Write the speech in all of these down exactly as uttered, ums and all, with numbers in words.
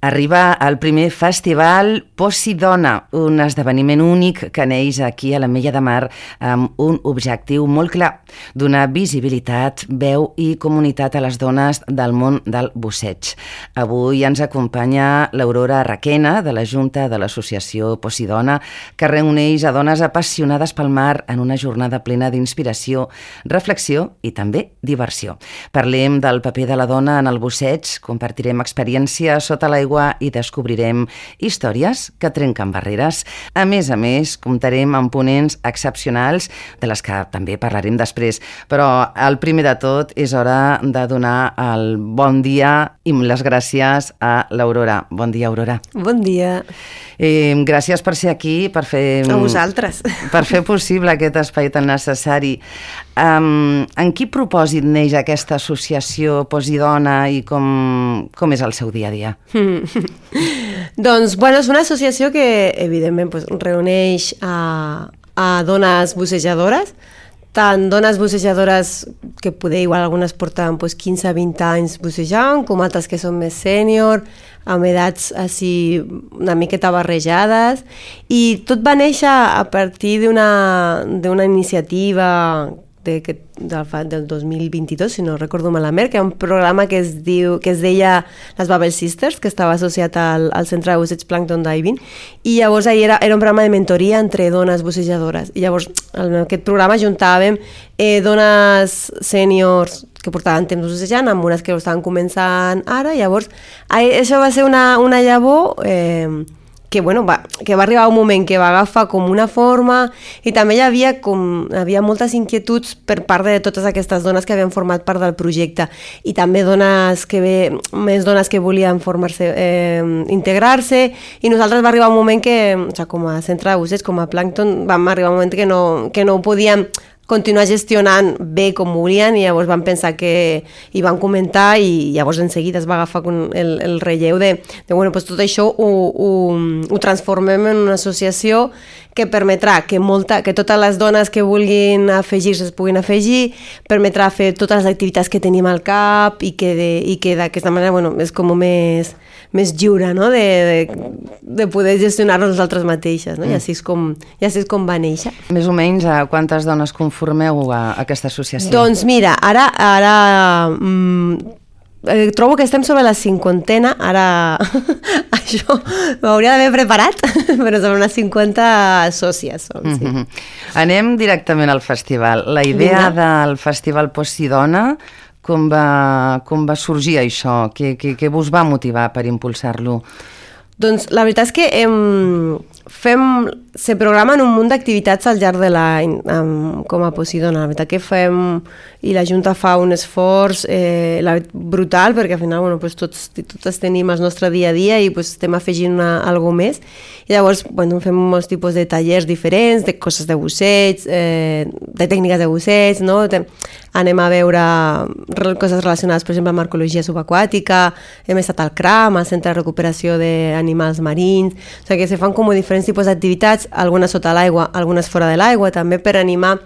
Arriba el primer festival Posidona, un esdeveniment únic que neix aquí a l'Ametlla de Mar amb un objectiu molt clar, donar visibilitat, veu i comunitat a les dones del món del busseig. Avui ens acompanya l'Aurora Requena, de la Junta de l'Associació Posidona, que reuneix a dones apassionades pel mar en una jornada plena d'inspiració, reflexió i també diversió. Parlem del paper de la dona en el busseig, compartirem experiències sota l'aigua i descobrirem històries que trenquen barreres. A més a més, comptarem amb ponents excepcionals, de les que també parlarem després. Però el primer de tot és hora de donar el bon dia i les gràcies a l'Aurora. Bon dia, Aurora. Bon dia. Eh, gràcies per ser aquí, per fer... A vosaltres. Per fer possible aquest espai tan necessari. Um, en quin propòsit neix aquesta associació Posidona i com, com és el seu dia a dia? Mm. Doncs, bueno, és una associació que, evidentment, pues, reuneix a, a dones bussejadores, tant dones bussejadores que poder, igual algunes porten pues, quinze a vint anys bussejant, com altres que són més sènior, amb edats així una miqueta barrejades, i tot va néixer a partir d'una d'una iniciativa de, que, del, del dos mil vint-i-dos, si no recordo malament, que era un programa que es, diu, que es deia les Bubble Sisters, que estava associat al, al Centre de Busseig Plankton Diving, i llavors ahir era, era un programa de mentoria entre dones bussejadores, i llavors en aquest programa juntàvem eh, dones sèniors que portaven temps bussejant amb unes que ho estaven començant ara, i llavors això va ser una, una llavor eh, que, bueno, va, que va arribar un moment que va agafar com una forma, i també hi havia, com, havia moltes inquietuds per part de totes aquestes dones que havien format part del projecte, i també dones que ve, més dones que volien formar-se, eh, integrar-se, i nosaltres va arribar un moment que, o sigui, com a centre de busseig, com a Plankton, vam arribar un moment que no, que no ho podíem continuar gestionant bé com volien, i llavors van pensar que hi van comentar, i llavors en seguida es va agafar el, el relleu de, de bueno, pues tot això ho, ho, ho transformem en una associació que permetrà que, molta, que totes les dones que vulguin afegir-se es puguin afegir, permetrà fer totes les activitats que tenim al cap, i que, de, i que d'aquesta manera, bueno, és com més, més lliure, no? de, de, de poder gestionar-nos nosaltres mateixes, no? Mm. I així és com, i així és com va néixer. Més o menys, a quantes dones conformeu a aquesta associació? Doncs mira, ara, ara mm, eh, trobo que estem sobre la cinquantena, ara això m'hauria d'haver preparat, però sobre unes cinquanta sòcies som, sí. Mm-hmm. Anem directament al festival. La idea Vinga. Del festival Posidona, com va, com va sorgir això? Què, què, què vos va motivar per impulsar-lo? Doncs la veritat és que hem, fem, se programen un munt d'activitats al llarg de l'any um, com a Posidona. La veritat que fem, i la Junta fa un esforç eh, la, brutal, perquè al final, bueno, pues tots, totes tenim el nostre dia a dia i pues, estem afegint una, alguna més. I llavors bueno, fem molts tipus de tallers diferents, de coses de busseig, eh, de tècniques de busseig, no? De, anem a veure coses relacionades, per exemple, amb arqueologia subaquàtica, hem estat al CRAM, al Centre de Recuperació d'Animals Marins, o sigui que se fan com diferents tipus d'activitats, algunes sota l'aigua, algunes fora de l'aigua, també per animar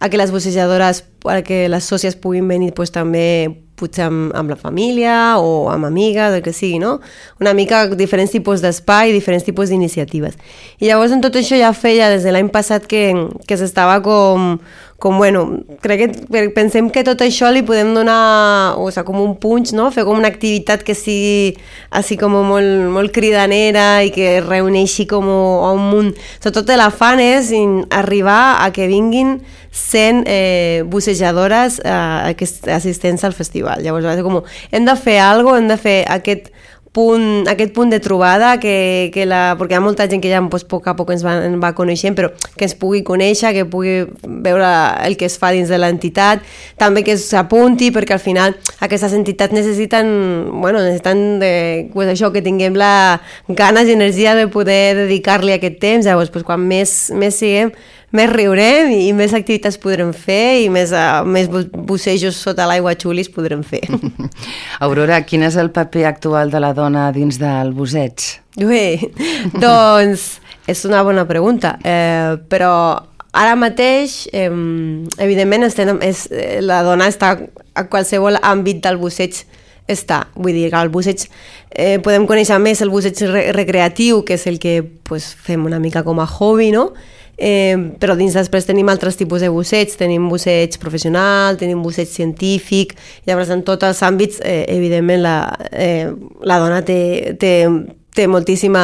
a que les bussejadores, a que les sòcies puguin venir pues, també potser amb, amb la família o amb amigues, el que sigui, no? Una mica diferents tipus d'espai, diferents tipus d'iniciatives. I llavors en tot això ja feia des de l'any passat que, que s'estava com, com, bueno, crec que pensem que tot això li podem donar, o sigui, com un punx, no? Fer com una activitat que sigui així com molt, molt cridanera i que reuneixi com a un munt. Sobretot l'afant és arribar a que vinguin cent eh, bussejadores eh, assistents al festival. Llavors va ser com, hem de fer alguna cosa, hem de fer aquest punt, aquest punt de trobada, que, que la, perquè hi ha molta gent que ja pues, a poc a poc ens va, ens va coneixent, però que ens pugui conèixer, que pugui veure el que es fa dins de l'entitat, també que s'apunti, perquè al final aquestes entitats necessiten, bueno, necessiten de, pues, això, que tinguem la ganes i energia de poder dedicar-li aquest temps. Llavors pues, quan més, més siguem, més riurem i més activitats podrem fer i més, uh, més bussejos sota l'aigua xulis podrem fer. Aurora, quin és el paper actual de la dona dins del busseig? Bé, doncs és una bona pregunta, eh, però ara mateix, eh, evidentment, estem, és, la dona està a qualsevol àmbit del busseig està. Vull dir que el busseig, eh, podem conèixer més el busseig re recreatiu, que és el que pues, fem una mica com a hobby, no? Eh, però dins després tenim altres tipus de busseig, tenim busseig professional, tenim busseig científic, llavors en tots els àmbits, eh, evidentment, la, eh, la dona té, té, té, moltíssima,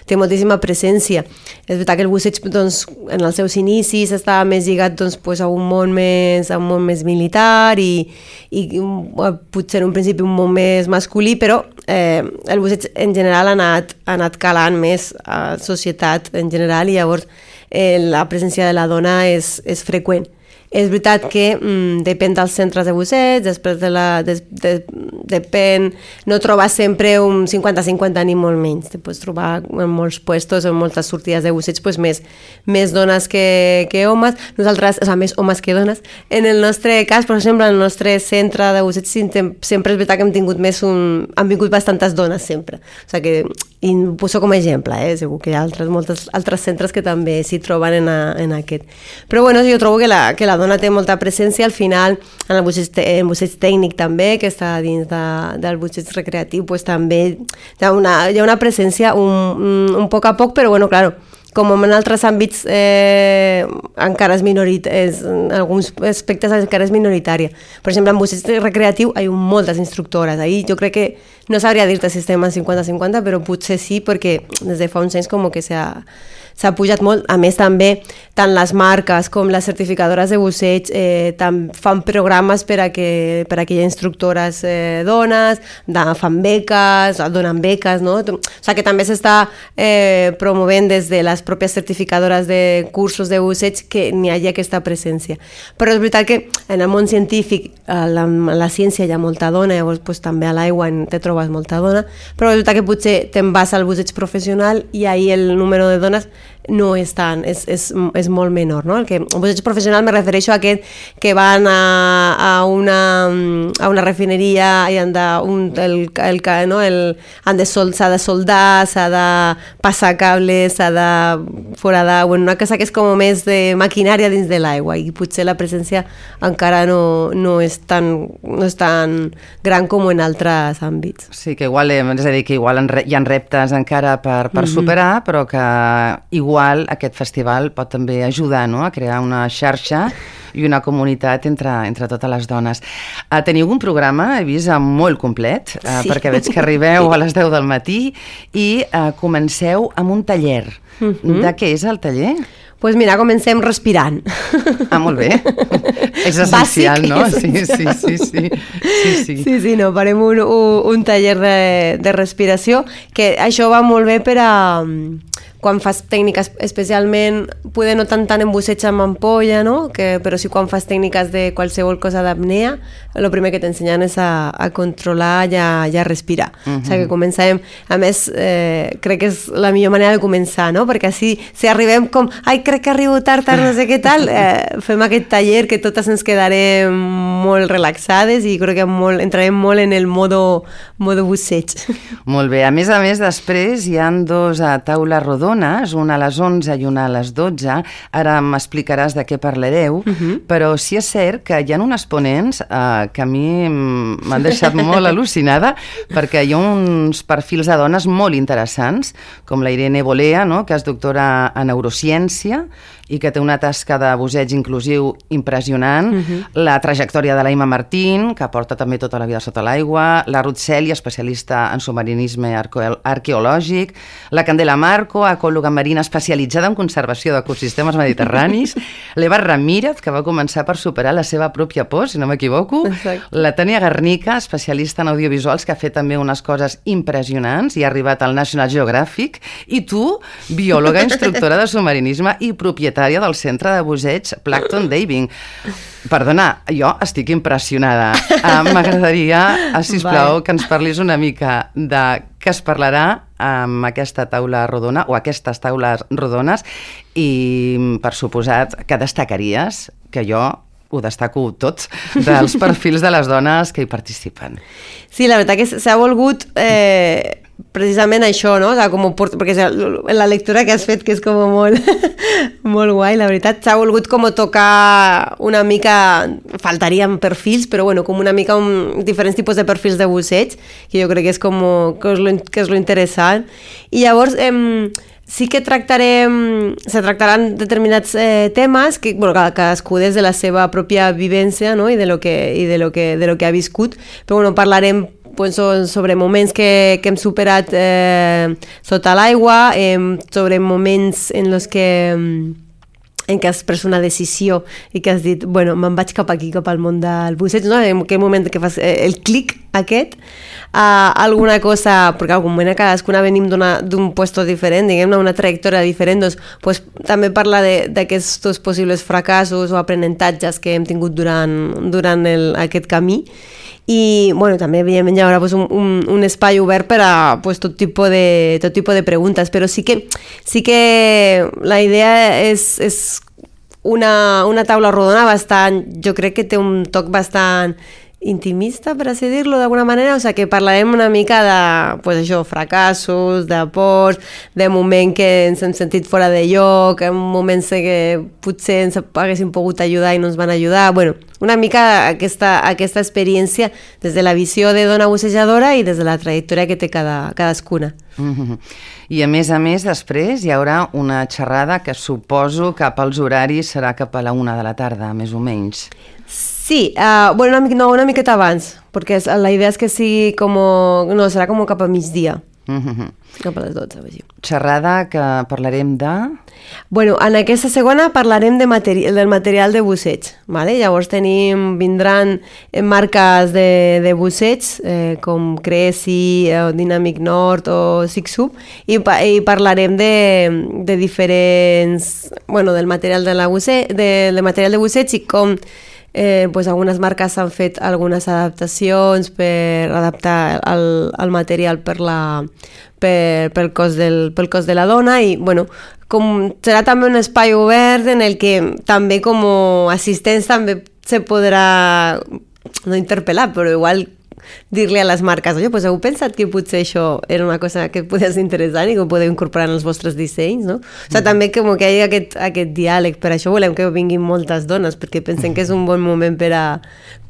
té moltíssima presència. És veritat que el busseig doncs, en els seus inicis estava més lligat doncs, pues, a, un món més, a un món més militar i, i potser en un principi un món més masculí, però eh, el busseig en general ha anat, ha anat calant més a la societat en general i llavors eh, la presència de la dona és, és freqüent. És veritat que mm, depèn dels centres de busseig, després de la, de, de, depèn, no trobes sempre un cinquanta cinquanta ni molt menys, te pots trobar en molts puestos, en moltes sortides de busseig, pues més, més dones que, que homes, nosaltres, o sigui, més homes que dones. En el nostre cas, per exemple, en el nostre centre de busseig sempre és veritat que hem tingut més un... han vingut bastantes dones sempre, o sigui que, i ho poso com a exemple, eh? Segur que hi ha altres, moltes altres centres que també s'hi troben en, a, en aquest. Però bueno, jo trobo que la, que la dona té molta presència, al final en el busseig, el busseig tècnic també, que està dins de, del busseig recreatiu, pues també hi ha una, hi ha una presència un, un, un poc a poc, però bueno, claro, com en altres àmbits eh, encara és minoritària, en alguns aspectes encara és minoritària. Per exemple, en busseig recreatiu hi ha moltes instructores. Ahir jo crec que no sabria dir-te si estem en cinquanta cinquanta, però potser sí, perquè des de fa uns anys com que s'ha s'ha pujat molt. A més, també, tant les marques com les certificadores de busseig eh, fan programes per a que, per a que hi ha instructores eh, dones, de, fan beques, donen beques, no? O sigui que també s'està eh, promovent des de les pròpies certificadores de cursos de busseig que n'hi hagi aquesta presència. Però és veritat que en el món científic, a la, a la ciència hi ha molta dona, llavors pues, també a l'aigua te trobes molta dona, però és veritat que potser te'n vas al busseig professional i ahir el número de dones no és tant, és, és, és molt menor, no? El que, un busseig professional me refereixo a aquest que van a, a, una, a una refineria i han de, un, el, el, no? el, han de sol, s'ha de soldar, s'ha de passar cables, s'ha de foradar, bueno, una cosa que és com més de maquinària dins de l'aigua i potser la presència encara no, no, és tan, no és tan gran com en altres àmbits. Sí, que igual, és a dir, que igual hi ha reptes encara per, per mm-hmm. superar, però que igual Igual aquest festival pot també ajudar, no?, a crear una xarxa i una comunitat entre, entre totes les dones. Uh, teniu un programa, he vist, molt complet, uh, sí. perquè veig que arribeu a les deu del matí i uh, comenceu amb un taller. Mm-hmm. De què és el taller? Doncs pues mira, comencem respirant. Ah, molt bé. És essencial, bàsic, no? Sí, sí, sí, sí. Sí, sí. sí, sí, no, farem un, un, un taller de, de respiració, que això va molt bé per a... quan fas tècniques, especialment, poder no tant tant en busseig amb ampolla, no? Que, però sí quan fas tècniques de qualsevol cosa d'apnea, el primer que t'ensenyen és a, a controlar i a, i a respirar. Uh-huh. O sigui que començàvem, a més, eh, crec que és la millor manera de començar, no? Perquè així, si arribem com, ai, crec que arribo tard, tard, no sé què tal, eh, fem aquest taller que totes ens quedarem molt relaxades i crec que molt, entrarem molt en el modo, modo busseig. Molt bé. A més a més, després hi ha dos a taula rodona, una a les onze i una a les dotze. Ara m'explicaràs de què parlareu, uh-huh. però sí és cert que hi ha uns ponents eh, que a mi m'han deixat molt al·lucinada, perquè hi ha uns perfils de dones molt interessants, com la Irene Bolea, no?, que és doctora en neurociència i que té una tasca de busseig inclusiu impressionant, uh-huh. la trajectòria de l'Aima Martín, que porta també tota la vida sota l'aigua, la Ruth Celia, especialista en submarinisme arqueològic, la Candela Marco, ecòloga marina especialitzada en conservació d'ecosistemes mediterranis, l'Eva Ramírez, que va començar per superar la seva pròpia por, si no m'equivoco, exacte. La Tania Garnica, especialista en audiovisuals, que ha fet també unes coses impressionants i ha arribat al National Geographic, i tu, biòloga, instructora de submarinisme i propietària del centre de busseig Plankton Diving. Perdona, jo estic impressionada. Uh, M'agradaria, sisplau, que ens parlis una mica de què es parlarà amb aquesta taula rodona o aquestes taules rodones i, per suposat, que destacaries, que jo ho destaco tot, dels perfils de les dones que hi participen. Sí, la veritat que s'ha volgut... Eh... precisament això, no? O sigui, com port... perquè la lectura que has fet, que és com molt, molt guai, la veritat, s'ha volgut com tocar una mica, faltarien perfils, però bueno, com una mica un, diferents tipus de perfils de busseig, que jo crec que és com que és lo, que és lo interessant. I llavors, eh, sí que tractarem, se tractaran determinats eh, temes que, bueno, cadascú des de la seva pròpia vivència, no? I de lo que, i de lo que, de lo que ha viscut, però bueno, parlarem pues, sobre moments que, que hem superat eh, sota l'aigua, eh, sobre moments en els que en què has pres una decisió i que has dit, bueno, me'n vaig cap aquí, cap al món del busseig, no? En aquell moment que fas el clic aquest, uh, alguna cosa, perquè algun moment a cadascuna venim d'un puesto diferent, diguem-ne, una trajectòria diferent, doncs pues, també parla d'aquests possibles fracassos o aprenentatges que hem tingut durant, durant el, aquest camí. I bueno, també evidentment hi haurà pues, un, un, un espai obert per a pues, tot, tipus de, tot tipus de preguntes, però sí que, sí que la idea és, és una, una taula rodona bastant, jo crec que té un toc bastant intimista, per així dir-lo d'alguna manera, o sigui que parlarem una mica de pues, això, fracassos, de pors, de moments que ens hem sentit fora de lloc, en moments que potser ens haguéssim pogut ajudar i no ens van ajudar, bueno, una mica aquesta, aquesta experiència des de la visió de dona bussejadora i des de la trajectòria que té cada, cadascuna. Mm-hmm. I a més a més després hi haurà una xerrada que suposo que pels horaris serà cap a la una de la tarda, més o menys. Sí, uh, bueno, una, no, una miqueta abans, perquè la idea és que sigui com... No, serà com cap a migdia. Mm-hmm. Cap a les dotze, així. Xerrada que parlarem de... Bueno, en aquesta segona parlarem de materi del material de busseig, ¿vale? Llavors tenim, vindran marques de, de busseig, eh, com Cresi, o Dynamic Nord o Sixub, i, i parlarem de, de diferents... Bueno, del material de, la busseig, de, de material de busseig i com... Eh, pues algunes marques han fet algunes adaptacions per adaptar el, el material per la, per, pel, cos del, pel cos de la dona i bueno, com serà també un espai obert en el que també com a assistents també se podrà no interpel·lar, però igual dir-li a les marques, oye, pues heu pensat que potser això era una cosa que podia ser interessant i que ho podeu incorporar en els vostres dissenys, no? O sigui, mm. també com que hi ha aquest, aquest diàleg, per això volem que vinguin moltes dones, perquè pensem que és un bon moment per a,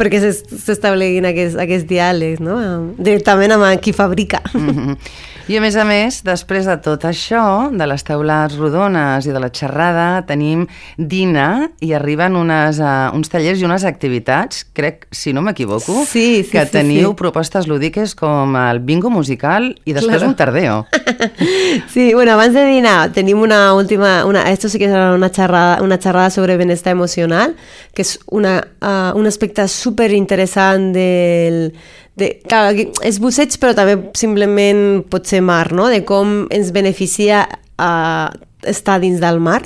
perquè s'establiguin aquests, aquests diàlegs, no? Directament amb qui fabrica. Mm-hmm. I a més a més, després de tot això, de les taules rodones i de la xerrada, tenim dinar i arriben unes, uh, uns tallers i unes activitats, crec, si no m'equivoco, sí, sí, que sí, teniu sí. propostes lúdiques com el bingo musical i després claro. Un tardeo. Sí, bueno, abans de dinar tenim una última, una, esto sí que serà una xerrada, una xerrada sobre benestar emocional, que és una, uh, un aspecte super interessant del... De, clar, és busseig però també simplement pot ser mar, no? De com ens beneficia uh, estar dins del mar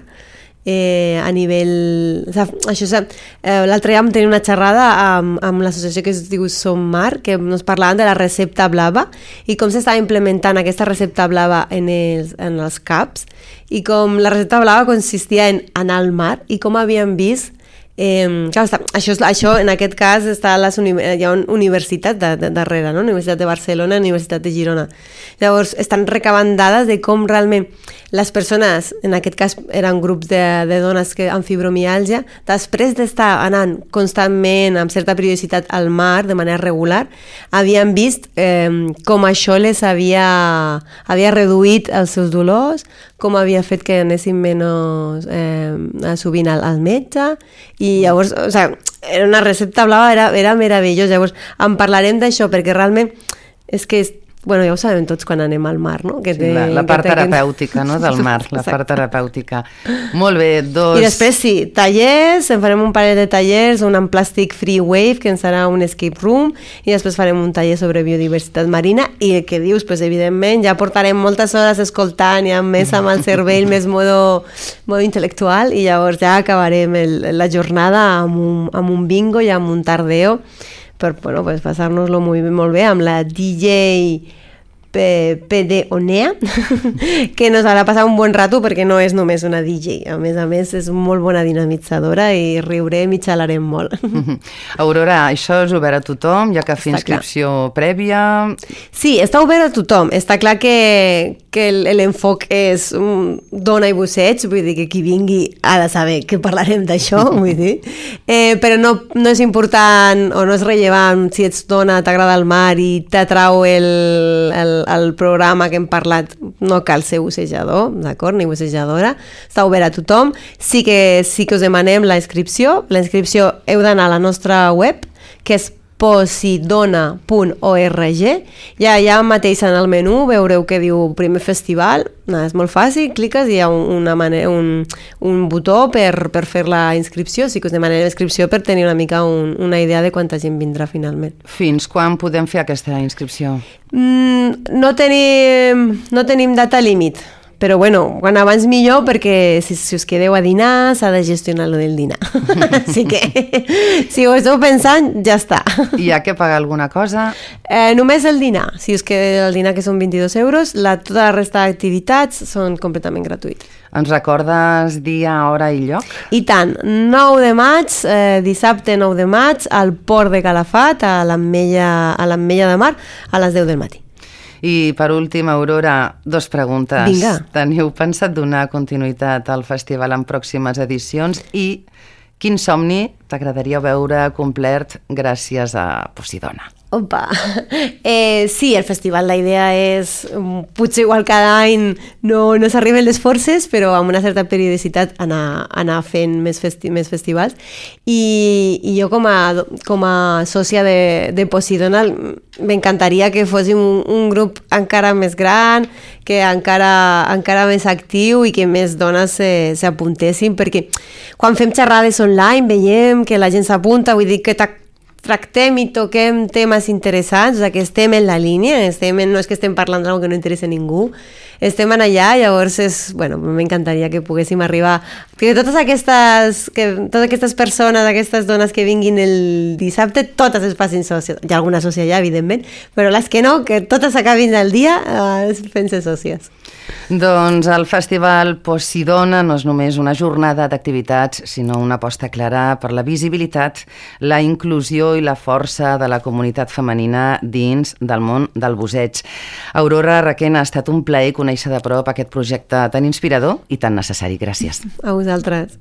eh, a nivell... O sigui, això, eh, l'altre dia vam tenir una xerrada amb, amb l'associació que es diu Som Mar, que ens parlaven de la recepta blava i com s'estava implementant aquesta recepta blava en els, en els caps i com la recepta blava consistia en anar al mar i com havíem vist Eh, clar, està, això, això en aquest cas està a les uni hi ha una universitat de, de, darrere, no? Universitat de Barcelona, Universitat de Girona. Llavors estan recabant dades de com realment les persones, en aquest cas eren grups de, de dones que, amb fibromiàlgia, després d'estar anant constantment amb certa periodicitat al mar de manera regular, havien vist eh, com això les havia, havia reduït els seus dolors, com havia fet que anessin menys eh, sovint al, al metge i llavors, o sigui, era una recepta blava, era, era meravellós. Llavors en parlarem d'això perquè realment és que és, bueno, ja ho sabem tots quan anem al mar, no? Que sí, té, la, la part que terapèutica, no?, del mar, la part terapèutica. Molt bé, dos... I després, sí, tallers, en farem un parell de tallers, un en Plastic Free Wave, que ens serà un escape room, i després farem un taller sobre biodiversitat marina, i el que dius, pues, evidentment, ja portarem moltes hores escoltant, ja més amb el cervell, més modo, modo intel·lectual, i llavors ja acabarem el, la jornada amb un, amb un bingo i amb un tardeo, per bueno, pues, passar-nos-lo molt, molt bé amb la D J Pedeonea, que nos harà passar un bon rato perquè no és només una D J, a més a més és molt bona dinamitzadora i riurem i xalarem molt. Aurora, això és obert a tothom, ja que fer inscripció prèvia... Sí, està obert a tothom, està clar que, que l'enfoc és um, dona i busseig, vull dir que qui vingui ha de saber que parlarem d'això, vull dir, eh, però no, no és important o no és rellevant si ets dona, t'agrada el mar i t'atrau el, el, el programa que hem parlat, no cal ser bussejador, d'acord, ni bussejadora, està obert a tothom. Sí que, sí que us demanem la inscripció, la inscripció heu d'anar a la nostra web, que és posidona punt org, ja allà mateix en el menú veureu que diu primer festival, no, és molt fàcil, cliques i hi ha una manera, un, un botó per, per fer la inscripció, sí que us demanem la inscripció per tenir una mica un, una idea de quanta gent vindrà finalment. Fins quan podem fer aquesta inscripció? Mm, no tenim, no tenim data límit, però bueno, quan abans millor perquè si, si us quedeu a dinar s'ha de gestionar lo del dinar. Així que si ho esteu pensant, ja està. Hi ha que pagar alguna cosa? Eh, només el dinar. Si us queda el dinar, que són vint-i-dos euros, la, tota la resta d'activitats són completament gratuïtes. Ens recordes dia, hora i lloc? I tant, nou de maig, eh, dissabte nou de maig, al Port de Calafat, a l'Ametlla a l'Ametlla de Mar, a les deu del matí. I per últim, Aurora, dos preguntes. Vinga. Teniu pensat donar continuïtat al festival en pròximes edicions i quin somni t'agradaria veure complert gràcies a Posidona? Opa! Eh, sí, el festival, la idea és, potser igual cada any no, no s'arriben les forces, però amb una certa periodicitat anar, anar fent més, festi més festivals. I, i jo com a, com a sòcia de, de Posidona m'encantaria que fóssim un, un grup encara més gran, que encara, encara més actiu i que més dones s'apuntessin, perquè quan fem xerrades online veiem que la gent s'apunta, vull dir que tractem i toquem temes interessants, o sigui, que estem en la línia, estem en, no és que estem parlant d'alguna que no interessa a ningú, estem en allà, llavors és, bueno, m'encantaria que poguéssim arribar, que totes aquestes, que totes aquestes persones, aquestes dones que vinguin el dissabte, totes es facin sòcies, hi ha alguna sòcia ja, evidentment, però les que no, que totes acabin el dia eh, fent-se sòcies. Doncs el Festival Posidona no és només una jornada d'activitats, sinó una aposta clara per la visibilitat, la inclusió i la força de la comunitat femenina dins del món del busseig. Aurora Requena, ha estat un plaer conèixer de prop aquest projecte tan inspirador i tan necessari. Gràcies. A vosaltres.